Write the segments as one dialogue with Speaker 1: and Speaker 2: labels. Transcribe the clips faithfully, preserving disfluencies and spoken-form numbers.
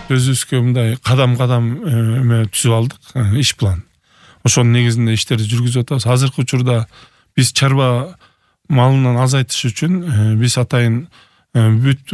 Speaker 1: Өзүбүзгө мындай кадам-кадам эме түзүп алдык, иш план. Ошонун негизинде иштерди жүргүзүп атабыз. Азыркы учурда биз чарба малынын азайтыш үчүн биз атайын бүт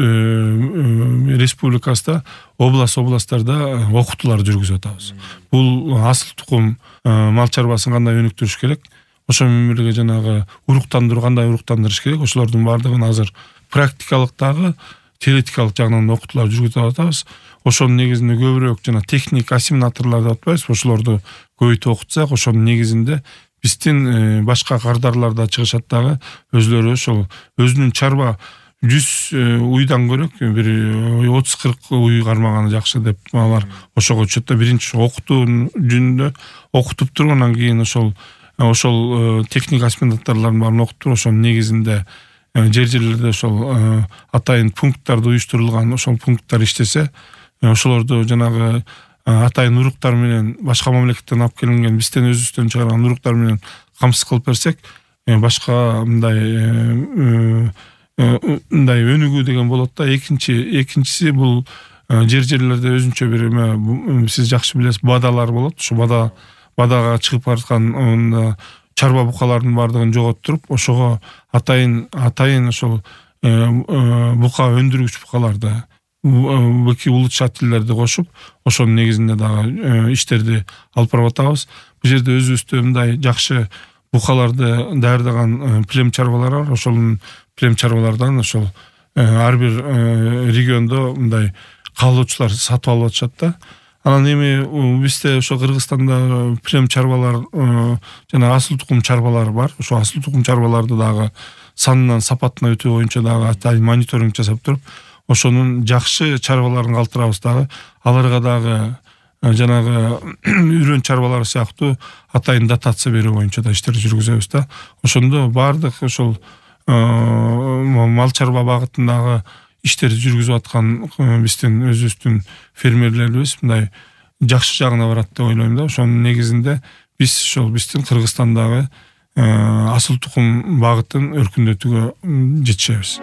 Speaker 1: республикасында область областтарда окутуулар жүргүзүп атабыз. Бул асыл тукум мал чарбасын кандай өнүктүрүш керек, ошо менен бирге жанагы уруктандыруу кандай уруктандырыш керек, ошолордун баардыгын азыр практикалык дагы теоретикалык жагынан окутуулар жүргүзүп атабыз. Ошонун негизинде көбүрөөк жана техник ассимиляторлор деп атпайбыз, ошолорду көбөйтүп окутсак, ошонун негизинде биздин башка кардарларда чыгышат дагы өзлөрү ошол өзүнүн чарба жүз уйдан көрөк бир отуз кырк уй кармаганы жакшы деп алар ошого өчөт да. Биринчи окутуу жөнүндө окутуп туруп, анан кийин ошол ошол техник ассимиляторлордун баарын окутуп туруп, ошонун негизинде жер жерлерде ошол атайын пункттарды уюштурулган, ошол пункттар иштесе, ошолорду жанагы атайын уруктар менен башка мамлекеттен алып келинген, бизден өзүбүздөн чыгарган уруктар менен камсыз кылып берсек, башка мындай мындай өнүгүү деген болот да. Экинчи экинчиси бул жер жерлерде өзүнчө бир эме, сиз жакшы билесиз, бадалар болот. Ошо бада бадага чыгып бараткан чарба букалардын баардыгын жоготтуруп, ошого атайын атайын ошол бука өндүргүч букаларды, быки улучшательлерди кошуп, ошонун негизинде дагы иштерди алып барып атабыз. Бул жерде өзүбүздө мындай жакшы букаларды даярдаган плем чарбалар бар. Ошол плем чарбалардан ошол ар бир региондо мындай каалоочулар сатып алып атышат да. Анан эми бизде ошо Кыргызстанда плем чарбалар жана асыл тукум чарбалар бар. Ошо асыл тукум чарбаларды дагы санынан, сапатына өтүү боюнча дагы атайын мониторинг жасап туруп, ошонун жакшы чарбаларын калтырабыз дагы. Аларга дагы жанагы үрөн чарбалар сыяктуу атайын дотация берүү боюнча да иштер жүргүзөбүз да. Ошондо баардык ошол мал чарба багытындагы иштерди жүргүзүп аткан биздин өзүбүздүн фермерлерибиз мындай жакшы жагына барат деп ойлойм да. Ошонун негизинде биз ошол биздин Кыргызстандагы асыл тукум багытын өркүндөтүүгө жетишебиз.